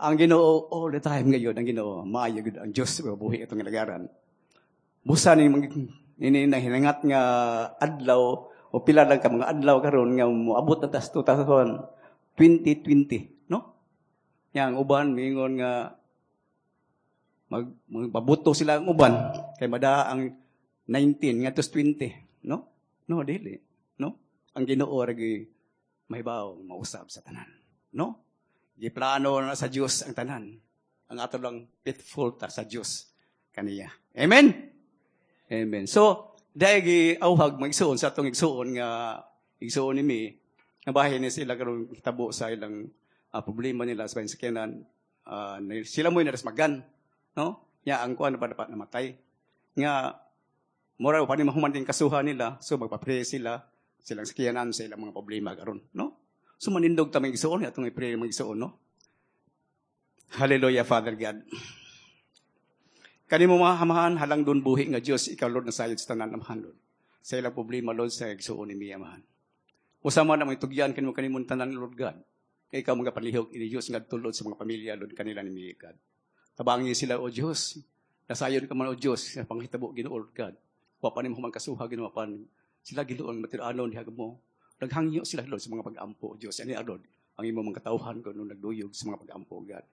Ang Ginoo all the time ngayon, ang Ginoo, maayo gud ang Dios buhi itong lagaran. Busa ni ini na hinangat nga adlaw o pila lang ka mga adlaw karon nga moabot na tas 2020, no? Yang uban miingon nga magpabuto sila ang uban kay mada ang 19 ngadto 20, no? No, dili, no? Ang Ginoo ra gyud mahibaw mausab sa tanan, no? Giplano na sa Dios ang tanan. Ang ato lang faithful ta sa Dios kaniya. Amen. Amen. So, dahil giauhag magsuon sa atong igsuon nga igsuon ni mi, nga bahin ni sila karon tabo sa ilang problema nila sa sakyanan, sila mo'y narasmagan, no? Nya ang kuan pa dapat namatay. Nga mura pa ni mahuman din kasuha nila, so magpa-pray sila silang sakyanan sa ilang mga problema karon, no? So manindog ta may igsuon atong i-pray mga igsuon, no? Hallelujah, Father God. Kanimo mga hamahan, halang doon buhi nga Dios, ikaw Lord nasayod sa tanan amahan Lord. Sa ilang problema Lord sa igsuon ni mi amahan. Usama na may tugyan kanimo kanimong tanan Lord God. Kay ikaw mga palihog ini Dios ngadto Lord sa mga pamilya Lord kanila ni mi God. Tabangi sila o Dios. Nasayon ka man o Dios sa panghitabo Ginoo Lord God. Wa pa nimo kasuha Ginoo pan sila Ginoo ang matiranon diha mo. Naghangyo sila Lord sa mga pag-ampo o Dios. Ani Lord ang imong mga katawhan kuno nagduyog sa mga pag-ampo God.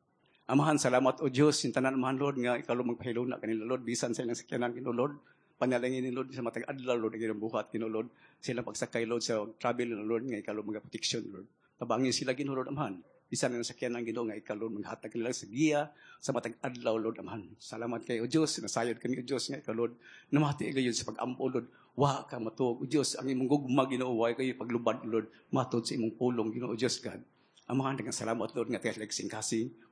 Amahan, salamat o Dios, yung tanan amahan Lord nga ikaw magpahiluna kanila Lord bisan sa ilang sakyanan Ginoo Lord. Panalangin ni Lord sa matag adlaw Lord ang ilang buhat Ginoo Lord. Silang pagsakay Lord sa travel Lord nga ikaw mga protection Lord. Tabangin sila Ginoo Lord amahan. Bisan ang sakyanan Ginoo nga ikaw Lord maghatag kanila sa giya sa matag adlaw Lord amahan. Salamat kay o Dios, nasayod kami o Dios nga ikaw Lord namati gayon sa pag-ampo Lord. Wa ka matuog o Dios ang imong gugma Ginoo wa kayo paglubad Lord matod sa imong pulong Ginoo Dios God. Amahan, daghang salamat Lord nga tayo kasing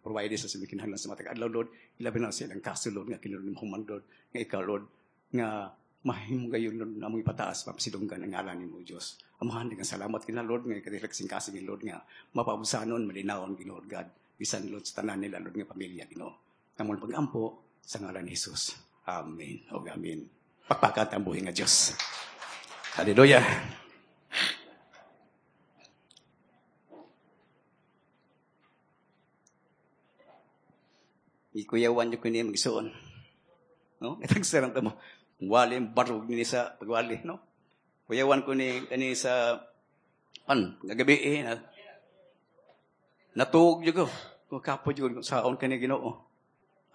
provide sa kinahanglan sa matag adlaw Lord. Ilabi na sa ilang kaso Lord nga kinahanglan human Lord nga ikaw Lord nga mahimo gayon Lord among ipataas mapasidunggan ang ngalan nimo Dios. Amahan, daghang salamat kina Lord nga katilagsing kasing Lord nga mapabusanon malinawon Ginoo God bisan Lord sa tanan nila Lord nga pamilya Ginoo. Namon pagampo sa ngalan ni Jesus. Amen. Og amen. Pakpakat ang buhi nga Dios. Hallelujah. Ikuyawan niyo kini magsuon. No? Itagsaran ta mo. Wali barog ni sa pagwali, no? Kuyawan ko ni kani sa pan gagabi eh, na, natuog jud ko. Ko kapo jud ko saon kani Ginoo.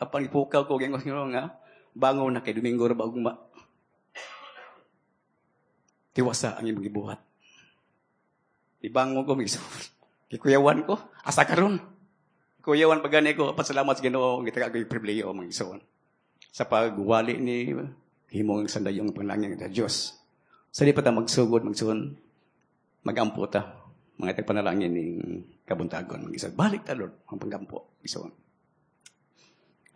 Apan gipukaw ko gingos Ginoo nga bangon na kay Domingo ra ba ugma. Tiwasa ang imong gibuhat. Ibangon ko magsuon. Gikuyawan ko asa karon. Kuyawan pa gani ko pasalamat sa Ginoo gitaka ko pribilehiyo magsuon. Sa pagwali ni himong sandayong panalangin sa Dios. Sa di pa ta magsugod magsuon magampo ta mga tagpanalangin ning kabuntagon mag-isod. Balik ta Lord ang panggampo igsoon.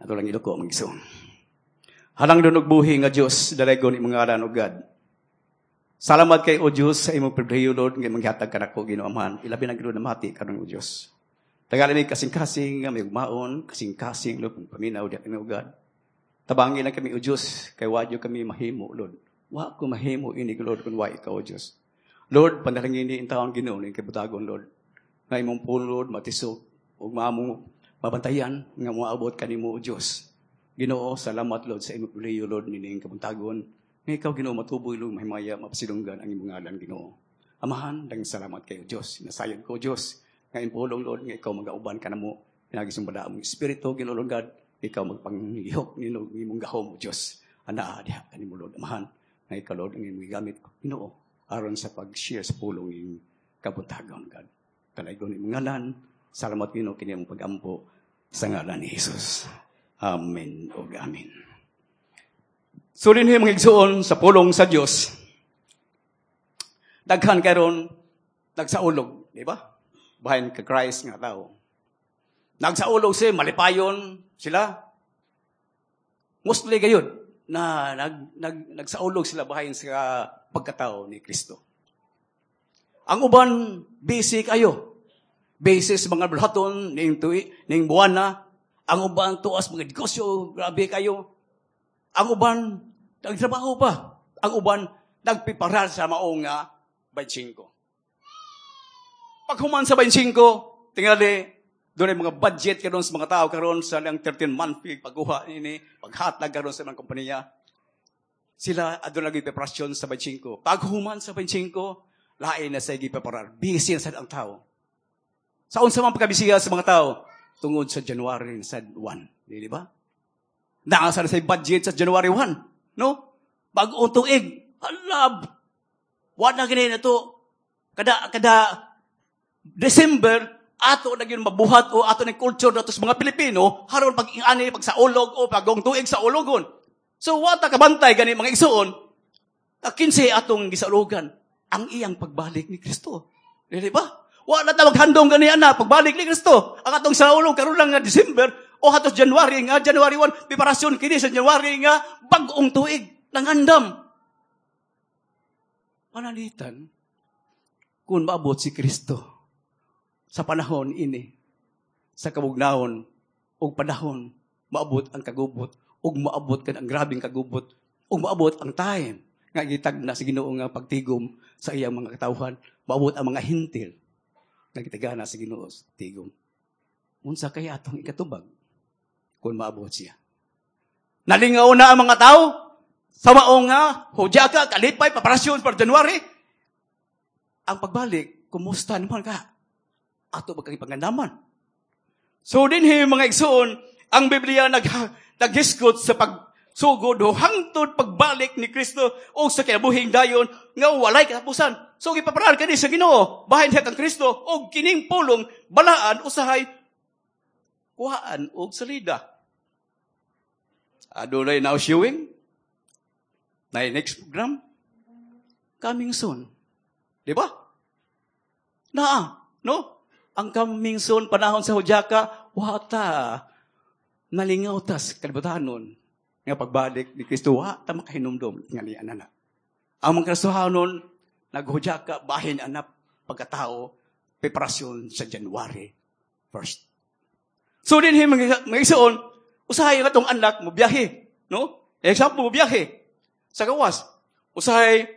Ato lang iluko magsuon. Halang dunog buhi nga Dios dalaygon imong ngalan o God. Salamat kay o Dios sa imong pribilehiyo Lord nga manghatag kanako Ginoo Amahan. Ilabi na Ginoo namati karon o Dios. Tagalin mi kasing-kasing nga may ugmaon, kasing-kasing Lord paminaw diha kami o God. Tabangin lang kami o Dios kay wa kami mahimo Lord. Wa ko mahimo ini Lord kun wa ikaw o Dios. Lord, panalangin ni intawon Ginoo ning kabutagon Lord. Nga imong pulong Lord matisok ug maamong mabantayan nga moabot kanimo o Dios. Ginoo, salamat Lord sa imong pribilehiyo Lord nining kabuntagon. Nga ikaw Ginoo matuboy Lord mahimaya mapasidunggan ang imong ngalan Ginoo. Amahan, daghang salamat kayo Dios. Nasayod ko Dios nga imong pulong Lord nga ikaw magauban kanamo pinagi sa balaang espiritu Ginoo Lord God. Ikaw magpanglihok nino imong gahom o Dios. Anaa diha kanimo Lord Amahan nga ikaw Lord ang imong gigamit Ginoo aron sa pag-share sa pulong ning kabuntagon God. Talaygon imong ngalan. Salamat Ginoo kini imong pagampo sa ngalan ni Jesus. Amen ug amen. So dinhi mga igsuon sa pulong sa Dios. Daghan karon nagsaulog, di ba? Bahin ka Christ nga tao. Nagsaulog siya, malipayon sila. Mostly gayud na nagsaulog sila bahin sa pagkatao ni Kristo. Ang uban busy kayo. Busy sa mga bulhaton ning tuig ning buwana. Ang uban tuas mga negosyo, grabe kayo. Ang uban nagtrabaho pa. Ang uban nagpiparar sa maong nga 25. Paghuman sa 25, tingali Doon ay mga budget karon sa mga tao karon sa lang 13-month fee, pagkuha ini, paghatag karon sa mga kompanya. Sila aduna lagi preparasyon sa 25. Paghuman sa 25, lain na sa gipreparar. Busy na sad ang tao. Sa unsa man pagkabisiya sa mga tao tungod sa January sa 1, di ba? Naa sa budget sa January 1, no? Bag-ong tuig, halab. Wa na gini na to. Kada December ato na gyud mabuhat o ato ng culture nato sa mga Pilipino haron pag ani pag sa ulog o pagong tuig sa ulogon. So wa ta kabantay gani, mga igsuon, ta 15 atong gisaulugan ang iyang pagbalik ni Kristo. Dili ba? Wa na ta maghandom gani ana pagbalik ni Kristo. Ang atong saulog karon lang nga December o hatos January nga January 1, preparasyon kini sa January nga bag-ong tuig nangandam. Panalitan kung maabot si Kristo sa panahon ini sa kabugnawon ug panahon maabot ang kagubot ug maabot kan ang grabeng kagubot ug maabot ang time nga gitagna sa Ginoo nga pagtigom sa iyang mga katawhan, maabot ang mga Hentil nga gitagana sa Ginoo sa tigom. Unsa kaya atong ikatubag kung maabot siya? Nalingaw na ang mga tao sa mao nga hudyaka, kalipay, preparasyon para January. Ang pagbalik, kumusta naman ka? Ato ba kang ipangandaman? So dinhi, mga igsoon, ang Biblia naghisgot sa pagsugod o hangtod pagbalik ni Kristo o sa kinabuhing dayon nga walay katapusan. So gipaparar kani sa Ginoo, bahin siya kang Kristo og kining pulong balaan usahay kuhaan og salida. Adunay now showing na next program coming soon. Di ba? Naa, no? Ang coming soon panahon sa Hudyaka, wata nalingaw tas kalibutanon nga pagbalik ni Kristo, wa ta makahinumdom nga ni anana. Ang mga Kristohanon naghudyaka bahin anap pagkatao preparasyon sa January 1st. So dinhi, mga igsoon, usahay nga tong anak mo biyahe, no? Example, mo biyahe sa gawas. Usahay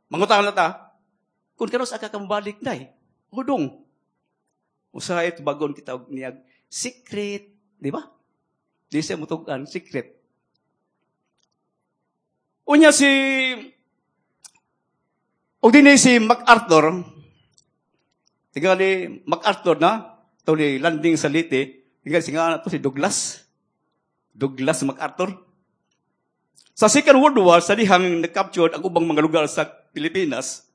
mangutang na ta kung kanos aka ka mobalik day. Hudong. Usahay tubagon kita og niyag secret, di ba? Di siya mutugan, secret. Unya si og dinhi si MacArthur, tingali MacArthur na to ni landing sa Leyte, tingali singa na to si Douglas. Douglas MacArthur. Sa Second World War, sa dihang nag-capture ang ubang mga lugar sa Pilipinas,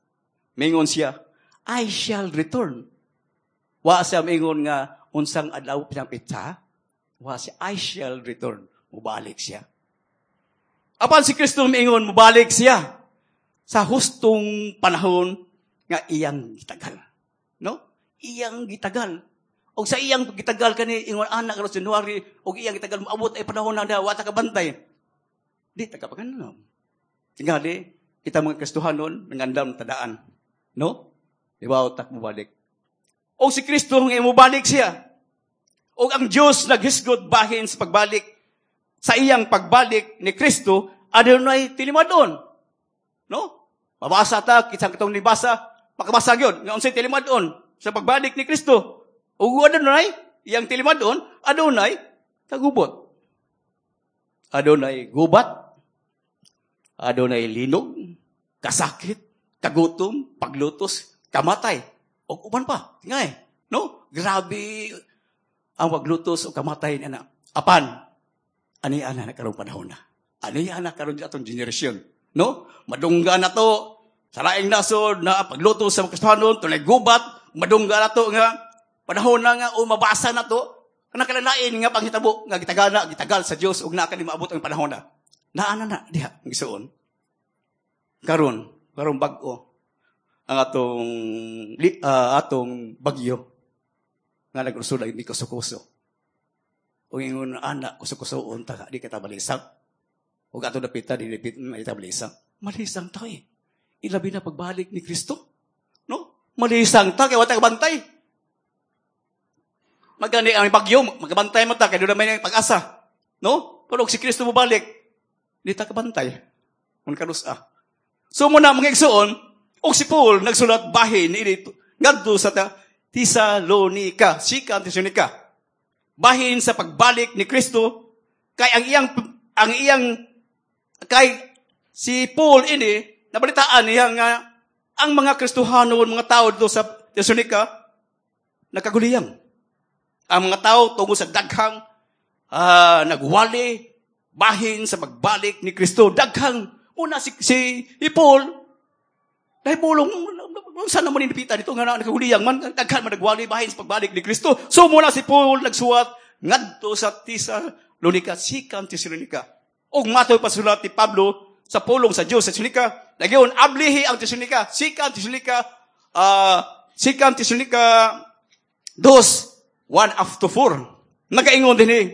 mingon siya, "I shall return." Wa siya mingon nga unsang adlaw pinang petsa. Wa siya, "I shall return." Mubalik siya. Apan si Kristo mingon, mubalik siya sa hustong panahon nga iyang gitagal. No? Iyang gitagal. Og sa iyang gitagal kani ingon anak karon January og iyang gitagal moabot ay panahon na wa ta kabantay. Di ta kapanganom. Tingali kita mga Kristohanon nangandam tadaan. No? Di ba tak mobalik? Og si Kristo nga mobalik siya. Og ang Dios naghisgot bahin sa pagbalik. Sa iyang pagbalik ni Kristo, adunay tilimadon. No? Mabasa ta kitang katong nibasa, makabasa gyud nga unsay tilimadon sa pagbalik ni Kristo. Ug adunay iyang tilimadon, adunay kagubot. Adunay gubat, adunay linog, kasakit, kagutom, paglutos, kamatay, ug uban pa. Tingay, no? Grabe ang paglutos o kamatay ni ana. Apan, ani ana na karong panahon na. Ani ana karon atong generasyon, no? Madungga na to sa laing nasod na paglutos sa mga Kristohanon, tunay gubat, madungga na to nga panahon na nga o mabasa na to, nakalalain nga panghitabo nga gitagana, gitagal sa Dios ug naa kani maabot ang panahon na. Naa na na diha ang igsuon. Karon, karong bag-o ang atong bagyo nga nag-ursula ni kuso-kuso. Ug ingon ana kuso-kusoon ta di kita balisang. Ug ato dapita di dapit ta balisang. Malisang ta eh. Ilabi na pagbalik ni Kristo. No? Malisang ta kay wa ta kabantay. Magani ang bagyo, magabantay mo ta kay doon may pag-asa. No? Pero og si Kristo mobalik, di ta kabantay. Kun kanusa. So muna mga igsuon, og si Paul nagsulat bahin ini ngadto sa Tesalonica, Second Thessalonica. Bahin sa pagbalik ni Kristo, kay ang iyang kay si Paul ini nabalitaan niya nga ang mga Kristohano, mga tao dito sa Thessalonica, nakaguliyang. Ang mga tao tungod sa daghang nagwali bahin sa pagbalik ni Kristo. Daghang una si Paul dahil bulong saan naman inipitan dito nga nakaguliyang man, daghan man nagwali bahin sa pagbalik ni Kristo. So muna si Paul nagsuwat ngadto sa Thessalonica, Second Thessalonica. Og matoy pasulat ni Pablo sa pulong sa Dios sa Thessalonica, nagyon ablihi ang Thessalonica, Second Thessalonica 2, 1 up to 4. Nagaingon din eh,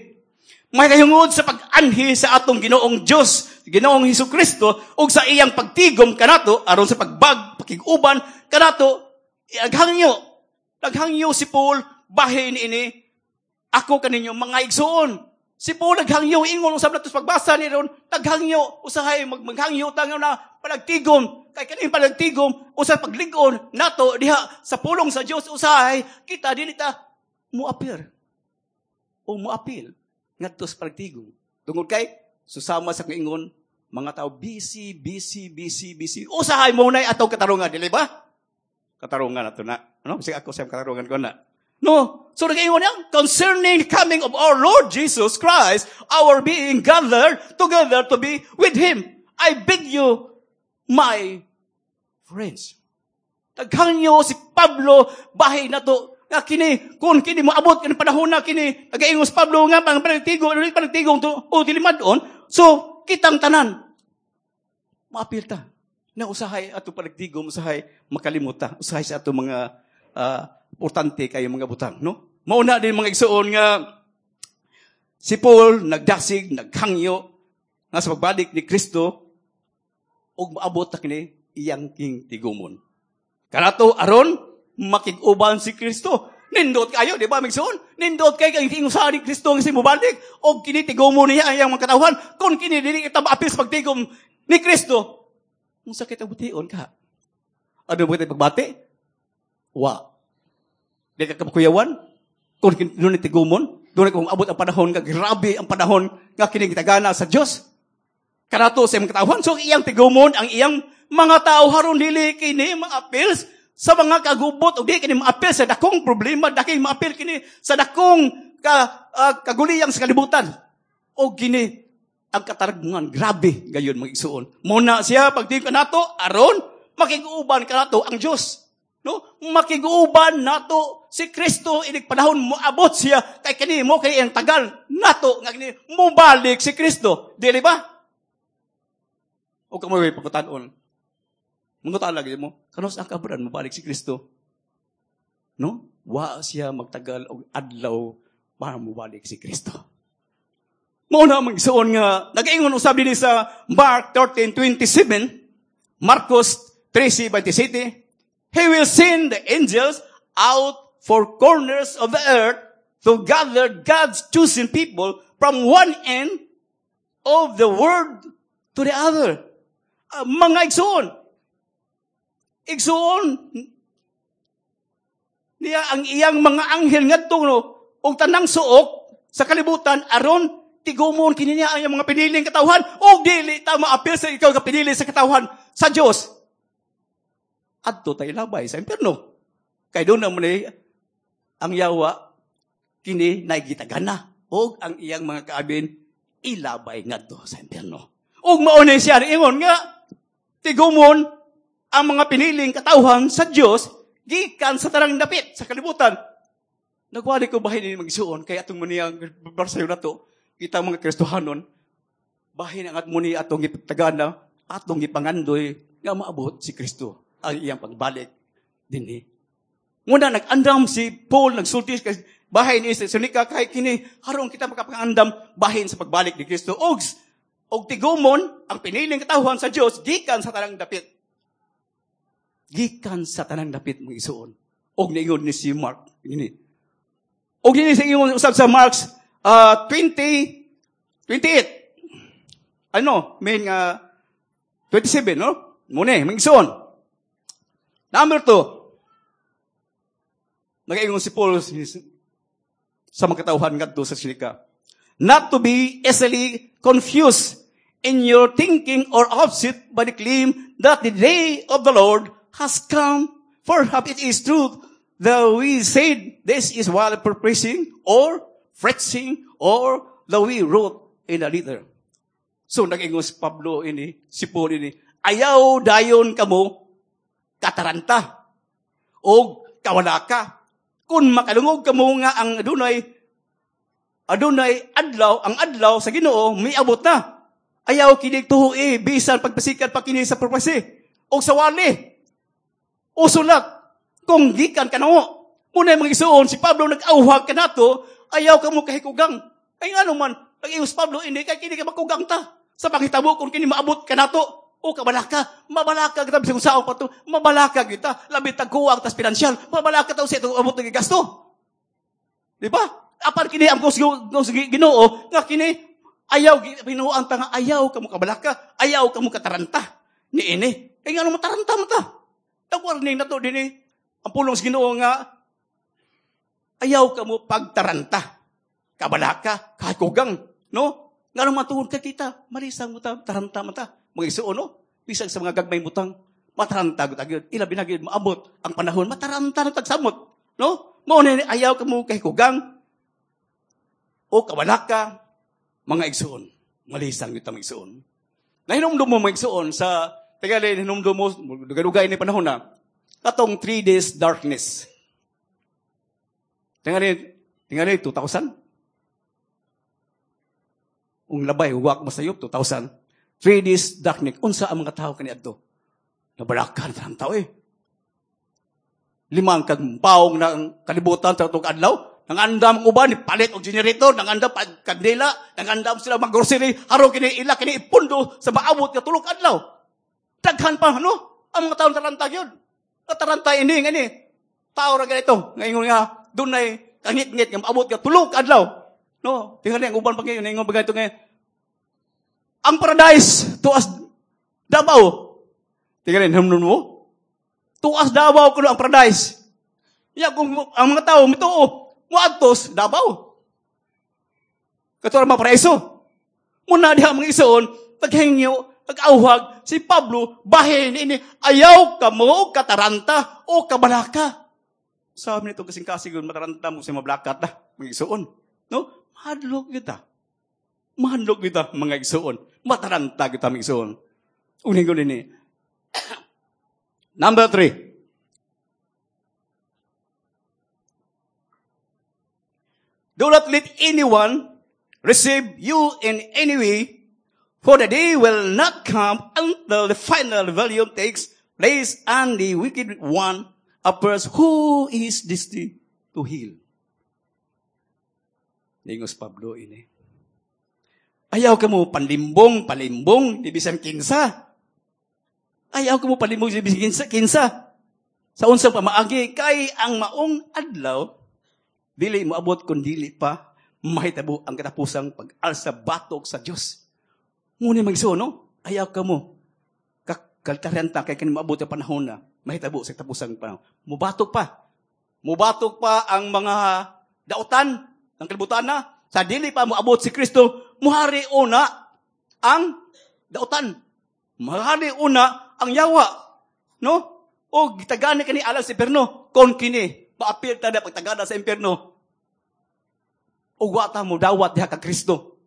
may kahungod sa pag-anhi sa atong Ginoong Dios, Ginoong Hesus Kristo, ug sa iyang pagtigom kanato aron sa pagbag pakig-uban kanato, naghangyo. Naghangyo si Paul bahin ini ako kaninyo, mga igsuon. Si Paul naghangyo, ingon usab nato sa pagbasa ni ron, naghangyo usahay maghangyo ta nga na palagtigom kay kaning palagtigom usa paglig-on nato diha sa pulong sa Dios, usahay kita dili ta moapir o moapil ngadto sa palagtigom. Tungod kay susama sa ingon mga tao busy, busy, busy, busy. Usahay mo na atong katarungan, dili ba? Katarungan ato na. Ano? Kasi ako sa katarungan ko na. No. So nag-ingon niya, concerning the coming of our Lord Jesus Christ, our being gathered together to be with Him, I beg you, my friends. Naghangyo si Pablo, bahin na to, nga kini, kung kini moabot kini panahon na kini, nagaingon si Pablo nga, pang panagtigo, ano panagtigong to, o dili man-on, so, kitang tanan, maapil ta. Na usahay ato panagtigom, usahay makalimuta, usahay sa ato mga importante kayo mga butang, no? Mauna din, mga igsuon, nga si Paul nagdasig, naghangyo nga sa pagbalik ni Kristo ug maabot ta kini iyang king tigumon. Kanato aron makig-uban si Kristo. Nindot kayo, di ba, migsuon? Nindot kay kang ingon sa ni Kristo nga si mobalik og kini tigumon niya ang iyang mga katawhan. Kung kini dili kita maapil sa pagtigom ni Kristo, unsa kita bution ka? Ano ba kita pagbati? Wa. Di ka kapakuyawan? Kung doon tigumon, doon kung abot ang panahon nga grabe ang panahon nga kini gitagana sa Dios. Kanato sa iyang katawhan. So iyang tigumon ang iyang mga tao haron dili kini maapil sa mga kagubot o di kini maapil sa dakong problema, daki maapil kini sa dakong kaguliyang sa kalibutan. O kini ang katarungan grabe gayon, mga igsuon. Muna siya pagtingin kanato aron makig-uban kanato ang Dios. No? Makig-uban nato si Kristo inig panahon moabot siya kay kini mo kay ang tagal nato nga kini mobalik si Kristo. Dili ba? O kamo may pagkutanon. Mangutan lagi mo, kanus ang kabran mobalik si Kristo? No? Wa siya magtagal og adlaw para mobalik si Kristo. Mao na, mga igsuon, nga nagaingon usab dinhi sa Mark 13:27, Marcos 13:27, "He will send the angels out four corners of the earth to gather God's chosen people from one end of the world to the other." Mga igsuon, igsuon niya ang iyang mga anghel ngadto, no, og tanang suok sa kalibutan aron tigumon kini niya ang iyang mga piniling katawhan og dili ta maapil sa ikaw ka pinili sa katawhan sa Dios, adto tay labay sa impierno. Kay doon naman eh, ang yawa kini naigitagana og ang iyang mga kaabin ilabay ngadto sa impierno. Ug mao ni siya ingon nga tigumon ang mga piniling katawhan sa Dios gikan sa tanang dapit sa kalibutan. Nagwali ko bahin ni magsuon kay atong muniyang barsayo nato kita mga Kristohanon bahin ang at muni atong gipagtagana, atong gipangandoy nga maabot si Kristo ang iyang pagbalik dinhi. Muna nag-andam si Paul, nagsulti kay bahin ni Thessalonica kay kini haron kita makapangandam bahin sa pagbalik ni Kristo og tigumon ang piniling katawhan sa Dios gikan sa tanang dapit. Gikan sa tanang dapit, mga igsuon. Og niingon ni si Mark ini. Og dinhi sa ingon usab sa Marks 20 28. Ano, main nga 27, no? Muna, mga igsuon. Number 2. Nagaingon si Paul Sa mga katawhan ngadto sa Silica. Not to be easily confused in your thinking or upset by the claim that the day of the Lord has come. For it is truth that we said this is while preaching or preaching or that we wrote in a letter. So, nag-ingon si Pablo ini, si Paul ini, ayaw dayon kamo kataranta o kawalaka. Kung makalungog kamo nga ang adunay adlaw, ang adlaw sa Ginoo miabot na. Ayaw kini tuoi bisan pagpasikat pa kini sa prophecy o sa wali o sulat kung gikan kanamo. Muna mga igsuon, si Pablo nag-awhag kanato, ayaw kamo kahikugang. Ay ngano man, nag-ingon si Pablo ini kay kini ka makugang ta. Sa panghitabo kung kini maabot kanato o kabalaka, mabalaka kita bisag unsaon pa to, mabalaka kita, labi tagkuwang tas pinansyal, mabalaka ta sa itong abot ng gasto. Di ba? Apan kini ang Ginoo nga kini ayaw binuang ta nga ayaw kamo kabalaka, ayaw kamo kataranta niini. Kay ngano mataranta man ta? Tag-warning na to dinhi ang pulong sa Ginoo nga ayaw kamo pagtaranta, kabalaka, kahikugang, no? Ngano matuod ka kita, malisang mo ta, taranta man ta. Mga igsuon, no? Bisan sa mga gagmay butang, mataranta gud agad. Ilabi na gyud maabot ang panahon, mataranta na tagsamot, no? Mao ni ayaw kamo kahikugang o kabalaka, mga igsuon. Malisang gyud ta mga igsuon. Nahinumdum mo mga igsuon sa tagali hinumdum mo dugay-dugay ni panahon na katong 3 days darkness. Tingali 2000. Ung labay uwak mo sayop 2000. 3 days darkness. Unsa ang mga tao kaniadto? Nabalakan ang tao eh. Limang kag paong na kalibutan sa atong adlaw. Nangandam ang uban, palit og generator, nangandam kandila, nangandam sila mag-grocery, haro kini ila kini ipundo sa maabot nga tulog adlaw. Daghan pa no? Ang mga tawo taranta gyud. Taranta ini ngani. Tao ra ganito, ngaingon nga dunay kangit-ngit nga maabot nga tulog adlaw. No, tingali ang uban pa ngayon, ingon pa ganito ngayon. Ang paradise tuas Davao. Tingali hinumdum mo. Tuas Davao kuno ang paradise. Ya kung ang mga tao mituo moadtos Davao. Kato ra maparaiso. Muna diha mga igsoon, paghingyo, pag-awhag si Pablo bahin ini ayaw kamo kataranta o kabalaka. Sabi nito kasing-kasing mataranta mo sa mablakat na mga igsoon. No? Mahadlok kita. Mahadlok kita mga igsoon. Mataranta kita mga igsoon. Uning ko nini. Number 3. Do not let anyone receive you in any way, for the day will not come until the final rebellion takes place and the wicked one appears who is destined to heal. Ningos Pablo ini. Ayaw ka mo panlimbong, palimbong, di bisan kinsa. Ayaw ka mo palimbong, di bisan kinsa. Sa unsang pamaagi, kay ang maong adlaw, dili moabot kun dili pa mahitabo ang katapusang pag-alsa batok sa Dios. Ngunit magsuo, no? Ayaw ka mo. Kakaltaranta kay kani maabot ang panahon na mahitabo sa katapusang panahon. Mubatok pa. Mubatok pa ang mga dautan ng kalibutan na. Sa dili pa moabot si Kristo, muhari una ang dautan. Muhari una ang yawa. No? O gitagani kani alang sa impierno kon kini maapil ta na pagtagana sa impierno. O wa ta mo dawat diha ka Kristo.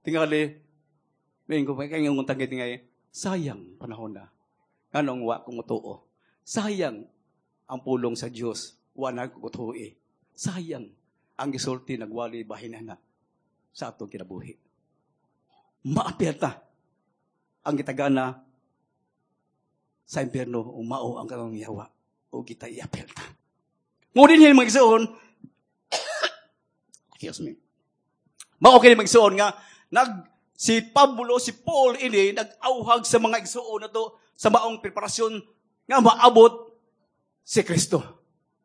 Tingali, may ko kay ngayong tanggi tingay, sayang panahon na. Nganong wa ko motuo. Sayang ang pulong sa Dios, wa na ko tuoe. Sayang ang gisulti nagwali bahin na sa atong kinabuhi. Maapil ta ang gitagana sa impierno o mao ang katong yawa o kita iapil ta. Ngunit hin magsuon, excuse me. Mao kini magsuon nga nag si Pablo, si Paul ini nag-auhag sa mga igsuon na to sa maong preparasyon nga maabot si Kristo.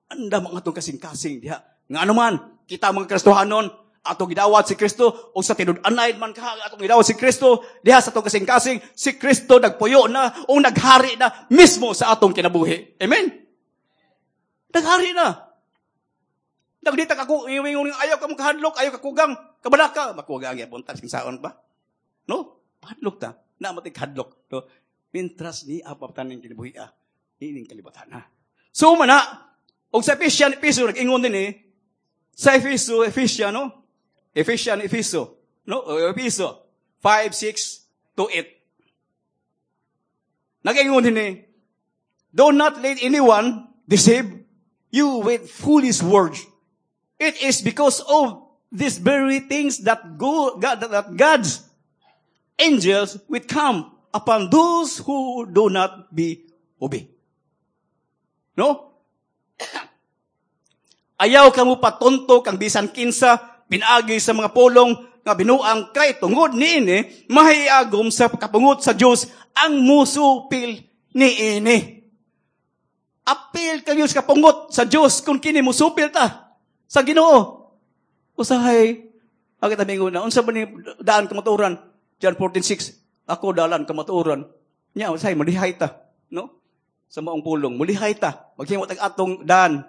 Anda mga atong kasing-kasing diha. Nga anuman, kita mga Kristohanon, atong gidawat si Kristo, o sa tinud-anay man ka, atong gidawat si Kristo, diha sa atong kasing-kasing, si Kristo nagpuyo na, o naghari na mismo sa atong kinabuhi. Amen? Naghari na. Nagdita ka ko, ingon ayaw ka mo kahadlok, ayaw ka kugang, kabalaka, makugang gyapon ta saon pa. No? Hadlok ta. Na matig hadlok. No? Mintras ni apaptaning kinabuhi ah, ining kalibutan ha. So mana, og sa Ephesian, Efeso, nag-ingon din eh, sa Efeso, Ephesian, no? Ephesian, Efeso, no? O, Efeso, 5, 6 to 8. Nag-ingon din eh, "Do not let anyone deceive you with foolish words. It is because of these very things that God's angels will come upon those who do not be obey." No? Ayaw ka mo patonto kang bisan kinsa pinaagi sa mga pulong nga binuang, kay tungod niini mahiagom sa kapungot sa Dios ang musupil niini. Apil kayo sa kapungot sa Dios kung kini musupil ta sa Ginoo. Usahay, agad kami na, unsa ba ni daan kamatuoran? John 14:6, "Ako dalan kamatuoran." Nya, usahay, mulihay ta. No? Sa maong pulong, mulihay ta. Maghimo tag atong daan.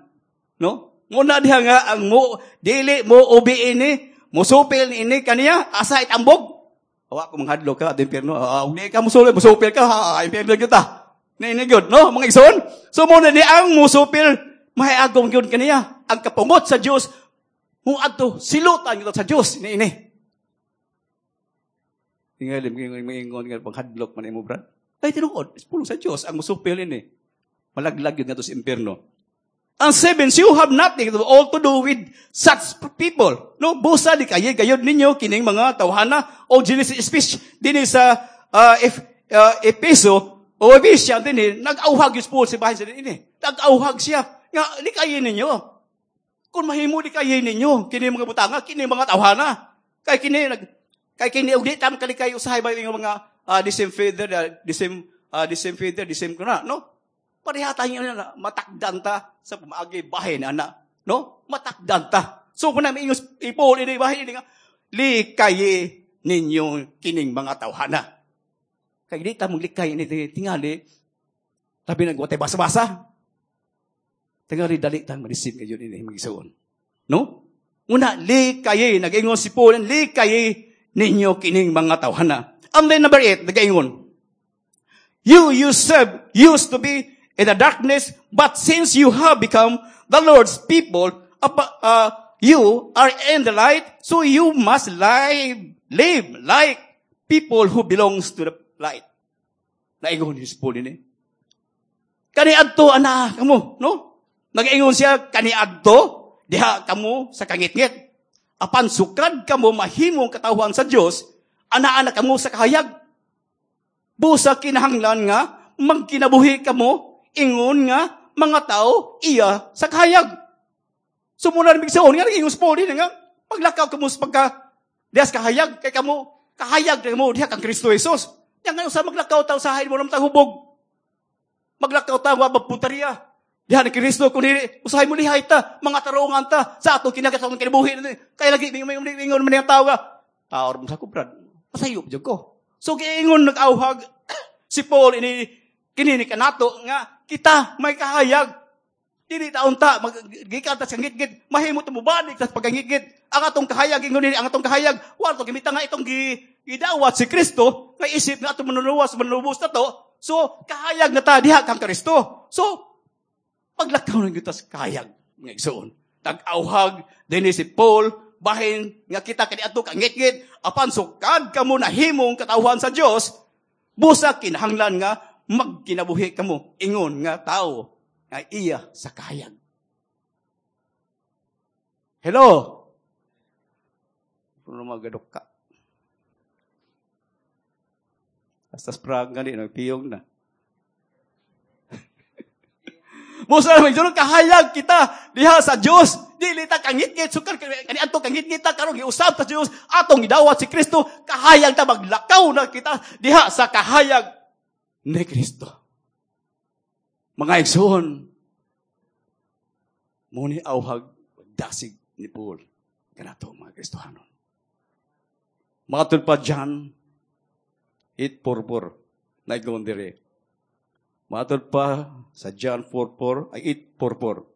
No? Muna diha nga, ang mo, dili mo ubi ini, musupil ni ini kaniya, asa itambog. Awa ko manghadlok ka, at impyerno. Ah, di ka musupil, musupil ka, ha, impyerno kita. Ni ini gyud, no? Mga igsoon. So muna ni ang musupil, mahiagom gyud kaniya. Ang kapungot sa Dios, muadto silutan gyud sa Dios ni ini. Tingali, ingon nga panghadlok man imo, brad. Ay tinuod, pulong sa Dios ang musupil ini. Malaglag gyud ngadto sa impyerno. Ang seven, you have nothing to all to do with such people. No, busa likayi gayod ninyo kining mga tawhana o Genesis speech dinhi sa if, Epeso o Ephesians dinhi, nag-auhag yung Paul si bahin sa ini. Nag-auhag siya nga likayi ninyo. Kung mahimo, likayi ninyo kini mga butanga, kini mga tawhana. Kay kini og di tam kalikay usahay ba yung mga the same feather, the same feather, the same kuna, no? Pareha tayo na matakdan ta sa pamaagi bahin ana, no? Matakdan ta. So kung namin ingos ipol ini bahin ini nga likayi ninyo kining mga tawhana. Kay di ta maglikay ini tingali tabi nagwatay basa-basa. Tingali dali tang ma-deceive kayo ini magisuon. No? Una, likayi, nag-ingon si Paul, likayi ninyo kining mga tawhana. And then number 8, nag-ingon, "You yourself used to be in the darkness, but since you have become the Lord's people, you are in the light, so you must live like people who belongs to the light." Naingon ni Paul ini. Kani adto ana kamo, no? Nag-ingon siya kani adto diha kamo sa kangitngit. Apan sukad kamo mahimong katawhan sa Dios, ana-ana kamo sa kahayag. Busa kinahanglan nga magkinabuhi kamo ingon nga mga tao iya sa kahayag. So muna rin bigsaon nga nag-ingon si Paul nga paglakaw kamo sa pagka diha sa kahayag kay kamo kahayag kamo diha kang Kristo Jesus. Yang nga sa maglakaw ta usahay mo naman hubog. Maglakaw ta wa mapunteriya. Diha ni Kristo kun usahay mo lihay ta, mga tarungan ta sa atong kinagatong kinabuhi. Kay lagi ingon man ang tao nga tao mo sa kubrad. Pasayop jud ko. So giingon nag-auhag si Paul ini kini ni kanato nga kita may kahayag. Dili ta unta magikan ta sa ngitngit, mahimo ta mobalik sa pagkangitngit. Ang atong kahayag ingon nini, ang atong kahayag wa to gimita nga itong gidawat si Kristo nga isip nga atong manuluwas manlubos na to. So kahayag na ta diha kang Kristo. So paglakaw ng kita sa kahayag mga igsoon. Nag-auhag dinhi si Paul bahin nga kita kani adto kangitngit, apan sukad kamo nahimong katawhan sa Dios, busa kinahanglan nga magkinabuhi kamo ingon nga tao nga iya sa kahayag. Hello? Puno magadok ka. Hasta sprang gani, nagpiyong na. Busa naman, yun kahayag kita diha sa Diyos. Dili ta kangitngit, sukar kani adto kangitngit ta karon giusab ta sa Diyos, atong gidawat si Kristo, kahayag ta maglakaw na kita diha sa kahayag ni Kristo. Mga igsoon, muni auhag dasig ni Paul kanato mga Kristohanon. Matud pa John 8:44 naigon dire. Matud pa sa John 4:4 ay 8:44.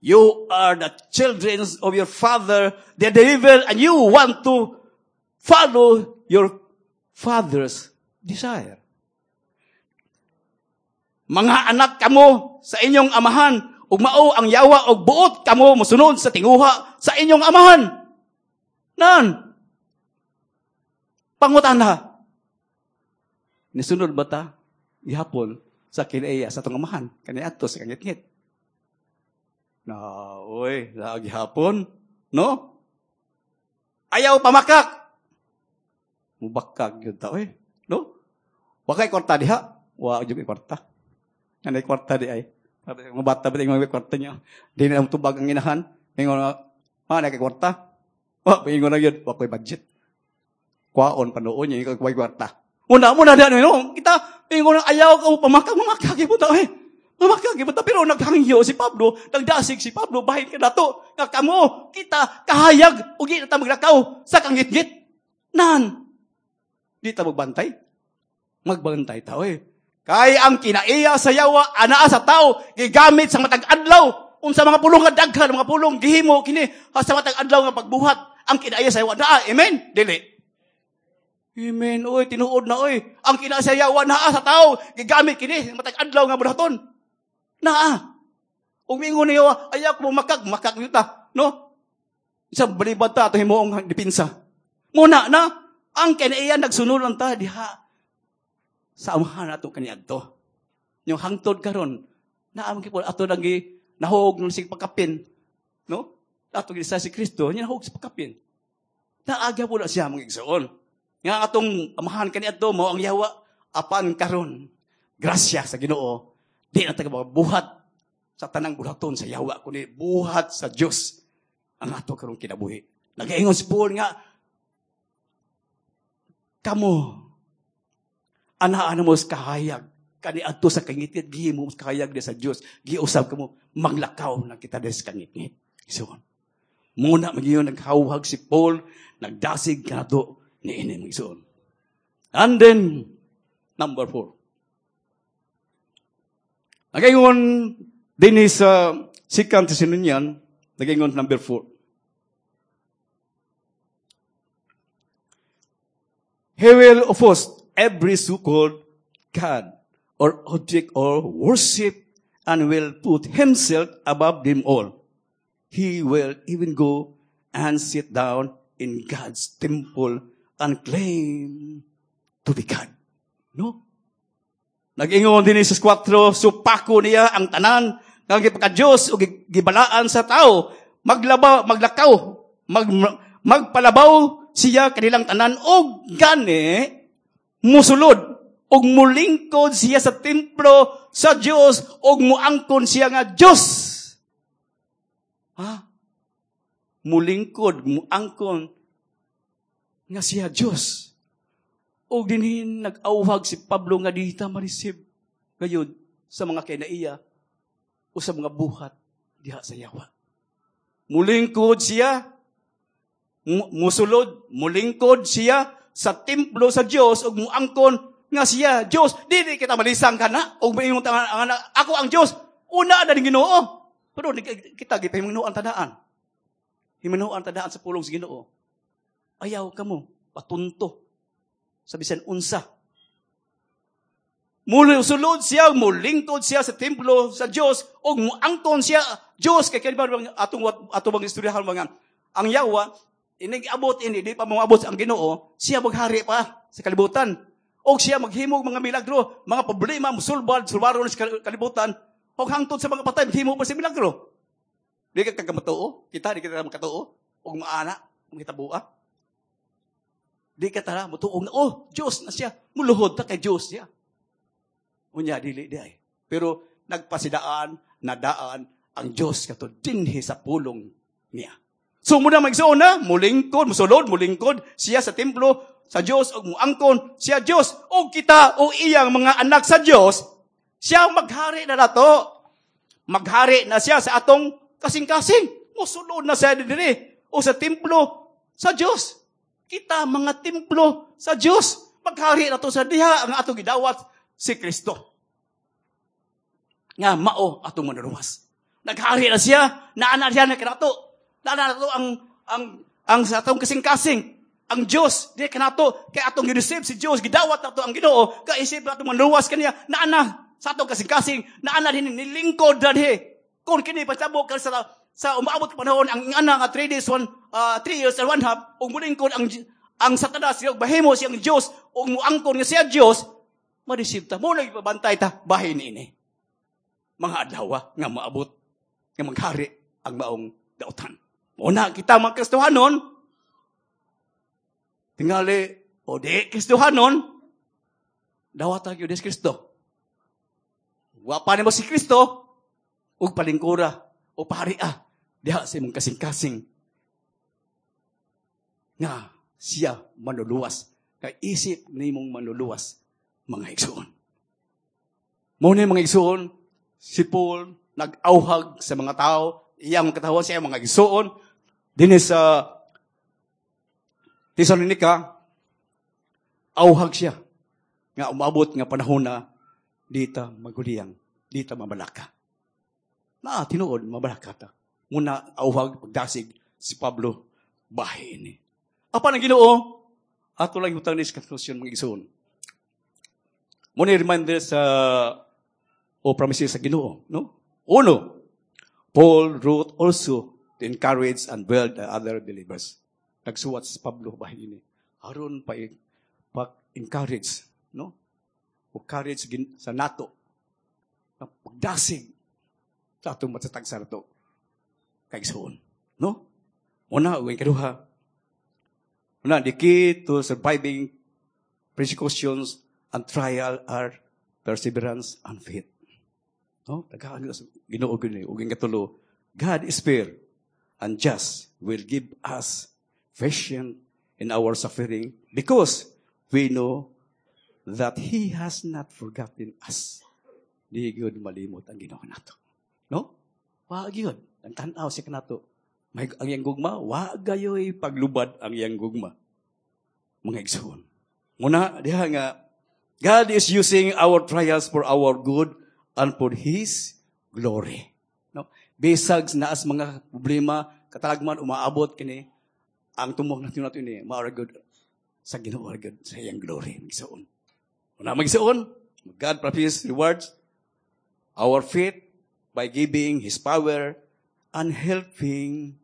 You are the children of your father, the devil, and you want to follow your father's desire. Mga anak kamo sa inyong amahan, ug mao ang yawa og buot kamo mosunod sa tinguha sa inyong amahan. Nan. Pangutana. Nisunod ba ta gihapon sa kinaiya sa atong amahan kaniadto sa kangitngit? Na, oy, gihapon, no? Ayaw pamakak. Mubakag yun ta, oy. No? Wa kay kwarta diha. Wa jud kwarta. Kanay kwarta di ay. Mga bata ba mga kwarta niya? Di na tubag ang inahan. Ingon nga, ah, na kay kwarta. Wa, ingon na yun. Wa ko'y budget. Kwaon panuon niya, ikaw ko'y kwarta. Una mo na no? Kita, ingon na ayaw ka pamakag, mamakag po ta, eh. Mamakag po ta. Pero naghangyo si Pablo, nagdasig si Pablo, bahin ka nato. Nga kamo, kita, kahayag, ugi na ta maglakaw sa kangitngit. Nan. Di ta magbantay. Magbantay ta, eh. Kay ang kinaiya sa yawa, anaa sa tao, gigamit sa matag adlaw. Unsa mga pulong nga daghan, mga pulong gihimo kini sa matag adlaw nga pagbuhat. Ang kinaiya sa yawa naa, amen? Dili. Amen, oy, tinuod na oy. Ang kinaiya sa yawa naa sa tao, gigamit kini sa matag adlaw nga buhaton. Naa. Ug miingon niyo, ayaw ko makag, makag yuta, no? Isang balibad ta ato himuong depensa. Muna na ang kinaiya nagsunod lang ta diha sa amahan ato kaniadto. Yung hangtod karon, naam gyud ato nang nahog nung sig pagkapin, no? Ato gid sa si Kristo, nya nahog sa pagkapin. Naagya po na siya mga igsoon. Nga atong amahan kaniadto mao ang yawa apan karon. Grasya sa Ginoo, di na ta buhat sa tanang buhaton sa yawa kundi buhat sa Dios ang ato karong kinabuhi. Nagaingon si Paul nga kamo anaan mo sa kahayag kaniadto sa kangitngit, gihimo sa kahayag di sa Dios, giusab kamo maglakaw na kita des kangitngit. So, muna magiyon naghawhag si Paul, nagdasig kanato niini mga igsoon. And then number 4. Nagaingon din sa 2 Thessalonian, nagaingon number 4. He will oppose every so-called God or object or worship and will put himself above them all. He will even go and sit down in God's temple and claim to be God. No? Nag-ingon din sa 4, supako niya ang tanan nga gipaka-Dios o gibalaan sa tao, maglaba, maglakaw, magpalabaw siya kanilang tanan og gani musulod og mulingkod siya sa templo sa Dios og muangkon siya nga Dios. Ha? Mulingkod, muangkon nga siya Dios. Og dinhin nag-awhag si Pablo nga dita ma-receive gayud sa mga kinaiya o sa mga buhat diha sa yawa. Mulingkod siya, musulod, mulingkod siya sa templo sa Dios ug muangkon nga siya Dios. Dili kita malisang kana ug moingon ta ako ang Dios. Una na ning Ginoo. Pero kita gipahimunuan tadaan. Himunuan tadaan sa pulong sa Ginoo. Ayaw kamo patunto sa bisan unsa. Musulod siya, mulingkod siya sa templo sa Dios ug muangkon siya Dios kay kani ba atong ato bang istoryahan mga ang yawa inig abot ini di pa moabot ang Ginoo, siya maghari pa sa kalibutan. Og siya maghimog mga milagro, mga problema musulbad sulbaron sa kalibutan og hangtod sa mga patay maghimo pa sa milagro. Di ka kagamatuo, kita di kita makatuo og maana ang hitabua. Di ka tara motuo nga oh Dios na siya, muluhod ta kay Dios siya. Unya dili di ay. Pero nagpasidaan nadaan ang Dios kato dinhi sa pulong niya. So muna magsuon na, mulingkod, musulod, mulingkod siya sa templo sa Dios og muangkon siya Dios og kita o iyang mga anak sa Dios, siya maghari na nato. Maghari na siya sa atong kasing-kasing. Musulod na siya diri o sa templo sa Dios. Kita mga templo sa Dios. Maghari na to sa diha ang atong gidawat si Kristo. Nga mao atong manuruwas. Naghari na siya, naana siya na kanato. Naana nato ang sa atong kasing-kasing. Ang Diyos, di kanato, kay atong gi-receive si Diyos, gidawat nato ang Ginoo, kaisip nato manluwas kaniya, naana sa atong kasing-kasing, naana din nilingkod dadhi. Kung kini pasabot ka sa umaabot panahon ang ana nga 3 days 1 3 years and one half ug mulingkod ang Satanas ug mahimo siyang Dios ug muangkon nga siya Dios, ma-deceive ta mo nagpabantay ta bahin ini mga adlaw nga maabot nga maghari ang maong dautan. Mo na kita mga Kristohanon, tingali o di Kristohanon, dawata gyud si Kristo. Wa pa nimo si Kristo ug palingkura o paharia diha sa imong kasing-kasing nga siya manluluwas, kay isip nimong manluluwas, mga igsoon. Mo ni, mga igsoon, si Paul nag-auhag sa mga tao, iyang katawan sa mga igsoon dinhi sa Tesalonica. Auhag siya nga umabot nga panahon na dita maguliyang, dita mabalaka. Na tinuod mabalaka ta. Muna auhag pagdasig si Pablo bahin ni. Apan ang Ginoo, ato lang hutang ni conclusion, mga igsoon. Mo ni reminder sa o promises sa Ginoo, no? Uno, Paul wrote also to encourage and build the other believers. Nagsuwat si Pablo bahin ini aron pa pag-encourage, no? O courage sa nato na pagdasig sa atong matatag sa nato kaigsoon, no? Una, ug kaduha. Una, the key to surviving persecutions and trial are perseverance and faith. No? Tagaan sa Ginoo gyud. Ug katulo, God is fair and just, will give us patience in our suffering because we know that He has not forgotten us. Di gyud malimot ang Ginoo nato. No? Wa gyud. Ang tan-aw siya kanato. May ang iyang gugma, wa gayoy paglubad ang iyang gugma, mga igsoon. Muna, diha nga, God is using our trials for our good and for His glory. No? Bisag naas mga problema, katalagman umaabot kini, ang tumong natin nato ini, maara good sa Ginoo gud sa iyang glory, mga igsoon. Muna, mga igsoon, God promises rewards our faith by giving His power and helping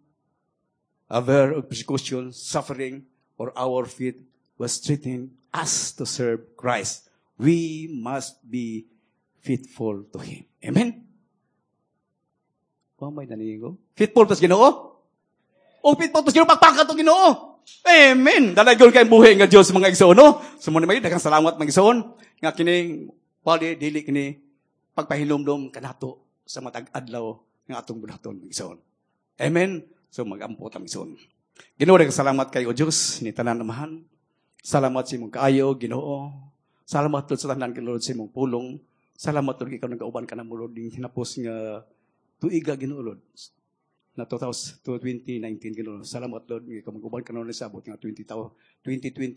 aware of persecution, suffering, or our faith was strengthening us to serve Christ. We must be faithful to Him. Amen? Wa may nanigo? Faithful tas Ginoo? O faithful tas Ginoo, pagpakat to Ginoo. Amen. Dalaygon kay buhi nga Dios, mga igsoon, no? So mo ni daghang salamat, mga igsoon, nga kining pali dili kini pagpahinumdom kanato sa matag adlaw nga atong buhaton, mga igsoon. Amen. So magampo ta, mga igsoon. Ginoo, daghang salamat kay o Dios ni tanan Amahan. Salamat sa imong kaayo, Ginoo. Salamat, Lord, sa tanan, Lord, sa imong pulong. Salamat, Lord, ikaw nagauban ka na mo, Lord, ning hinapos nga tuiga, Ginoo, Lord. Na 2019, Ginoo. Salamat, Lord, nga ikaw mag-uban ka na sa abot nga 2020,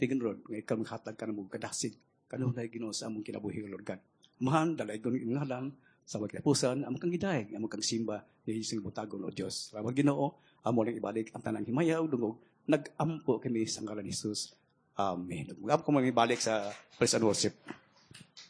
Ginoo, Lord, nga ikaw maghatag ka na mo kadasig kanunay, Ginoo, sa among kinabuhi, Lord God. Amahan, dalaygon imong ngalan sa katapusan, among kang gidayeg, among kang simba, ni Jesus butagon o Dios. Salamat, Ginoo, amo lang ibalik ang tanang himaya ug dungog. Nag-ampo kami sa ngalan ni Jesus. Amen. Mag-ampo ko ibalik sa praise and worship.